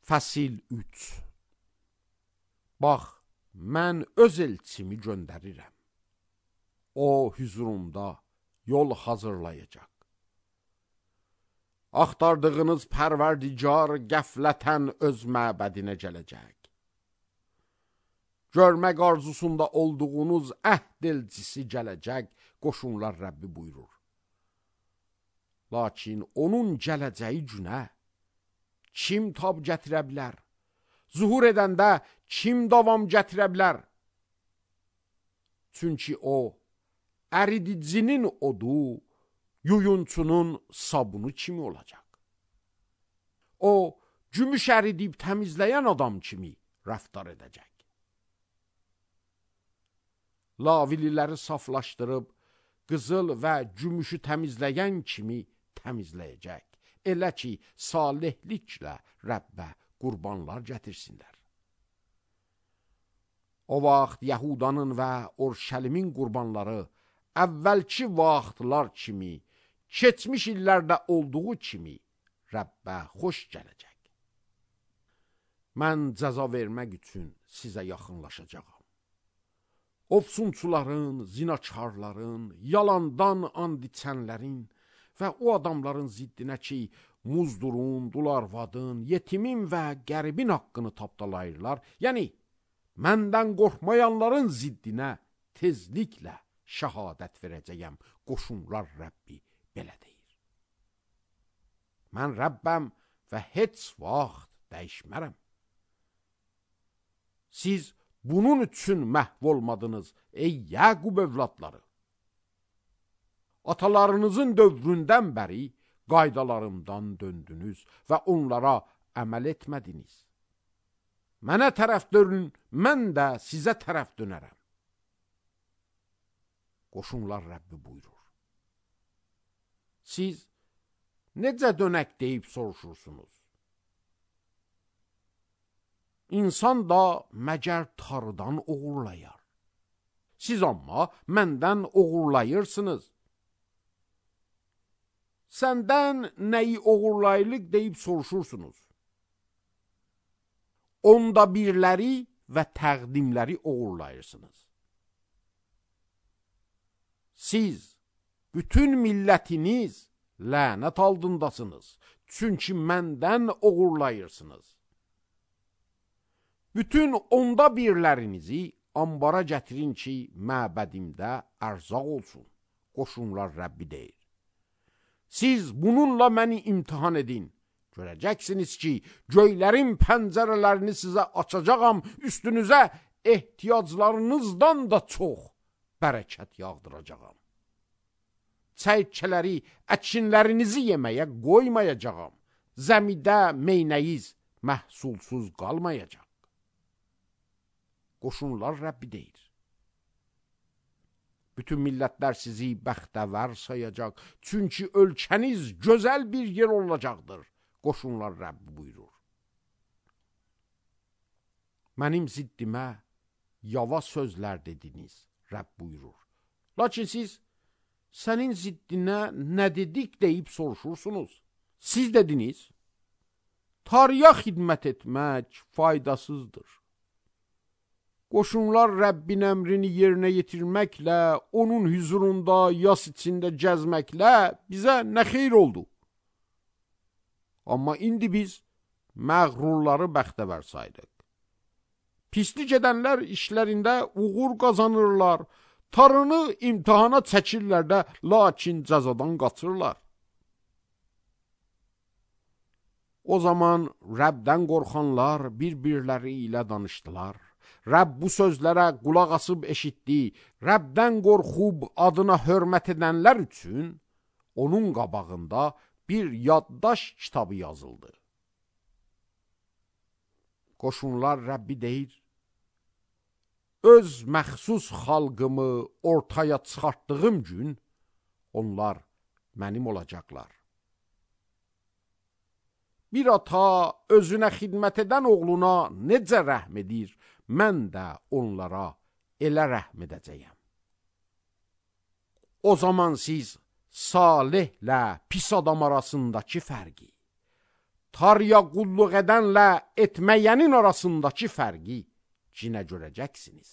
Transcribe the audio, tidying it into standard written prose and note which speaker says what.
Speaker 1: Fəsil 3. Bax, mən öz elçimi göndərirəm. O, hüzurumda yol hazırlayacaq. Axtardığınız pərverdigar qəflətən öz məbədinə gələcək. Görmək arzusunda olduğunuz əhd elçisi gələcək, qoşunlar Rəbbi buyurur. Lakin onun gələcəyi günə kim tab gətirə bilər? Zuhur edəndə kim davam gətirə bilər? Çünki o, əridicinin odu, yuyunçunun sabunu kimi olacaq. O, gümüş əridib təmizləyən adam kimi rəftar edəcək. Lavililəri saflaşdırıb, qızıl və gümüşü təmizləyən kimi təmizləyəcək. Elə ki, salihliklə Rəbbə qurbanlar gətirsinlər. O vaxt Yahudanın və Orşəlimin qurbanları əvvəlki vaxtlar kimi, keçmiş illərdə olduğu kimi Rəbbə xoş gələcək. Mən cəza vermək üçün sizə yaxınlaşacağam. Ofsunçuların, zinakarların, yalandan and içənlərin və o adamların ziddinə ki, muzdurun, dularvadın, yetimin və qəribin haqqını tapdalayırlar, yəni məndən qorxmayanların ziddinə tezliklə şəhadət verəcəyəm, qoşunlar Rəbbi belə deyir. Mən Rəbbəm və heç vaxt dəyişmərəm. Siz bunun üçün məhv olmadınız, ey Yaqub övladları. Atalarınızın dövründən bəri qaydalarımdan döndünüz və onlara əməl etmədiniz. Mənə tərəf dönün, mən də sizə tərəf dönərəm. Qoşunlar Rəbbi buyurur. Siz necə dönək deyib soruşursunuz? İnsan da məgər tarıdan oğurlayar. Siz amma məndən oğurlayırsınız. Səndən nəyi oğurlayırıq deyib soruşursunuz. Onda birləri və təqdimləri oğurlayırsınız. Siz, bütün millətiniz lənət altındasınız. Çünki məndən oğurlayırsınız. Bütün onda birlərinizi ambara gətirin ki, məbədimdə ərzaq olsun. Qoşunlar Rəbbi deyir. Siz bununla məni imtihan edin. Görəcəksiniz ki, göylərin pəncərələrini sizə açacağam, üstünüzə ehtiyaclarınızdan da çox bərəkət yağdıracağam. Çəyirkələri, əkinlərinizi yeməyə qoymayacağam. Zəmidə meynəyiz məhsulsuz qalmayacaq. Qoşunlar Rəbbi deyir. Bütün millətlər sizi bəxtəvər sayacaq. Çünki ölkəniz gözəl bir yer olacaqdır. Qoşunlar Rəbbi buyurur. Mənim ziddimə yava sözlər dediniz, Rəbb buyurur. Lakin siz, sənin ziddinə nə dedik deyib soruşursunuz. Siz dediniz, Tanrıya xidmət etmək faydasızdır. Qoşunlar Rəbbin əmrini yerinə yetirməklə, onun hüzurunda yas içində gəzməklə bizə nə xeyr oldu? Amma indi biz məğrurları bəxtəvər saydıq. Pislik edənlər işlərində uğur qazanırlar, tarını imtihana çəkirlər də, lakin cəzadan qaçırlar. O zaman Rəbdən qorxanlar bir-birləri ilə danışdılar. Rəbb bu sözlərə qulaq asıb eşitdi. Rəbdən qorxub adına hörmət edənlər üçün onun qabağında bir yaddaş kitabı yazıldı. Qoşunlar Rəbbi deyir, öz məxsus xalqımı ortaya çıxartdığım gün onlar mənim olacaqlar. Bir ata özünə xidmət edən oğluna necə rəhm edir, mən də onlara elə rəhm edəcəyəm. O zaman siz salihlə pis adam arasındakı fərqi, Tanrıya qulluq edənlə etməyənin arasındakı fərqi cinə görəcəksiniz.